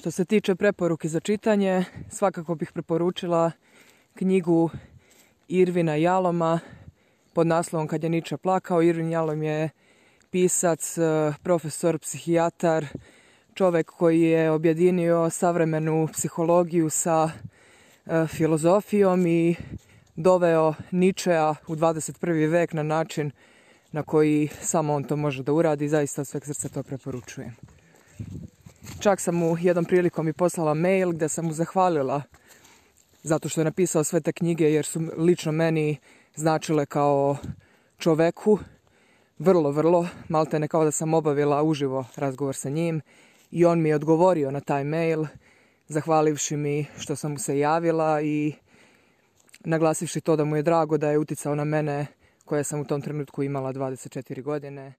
Što se tiče preporuke za čitanje, svakako bih preporučila knjigu Irvina Jaloma pod naslovom Kad je Niče plakao. Irvin Jalom je pisac, profesor, psihijatar, čovjek koji je objedinio savremenu psihologiju sa filozofijom i doveo Ničea u 21. vek na način na koji samo on to može da uradi. Zaista od sveg srca to preporučujem. Čak sam mu jednom prilikom i poslala mail gdje sam mu zahvalila zato što je napisao sve te knjige, jer su lično meni značile kao čoveku vrlo, maltene kao da sam obavila uživo razgovor sa njim, i on mi je odgovorio na taj mail zahvalivši mi što sam mu se javila i naglasivši to da mu je drago da je uticao na mene koja sam u tom trenutku imala 24 godine.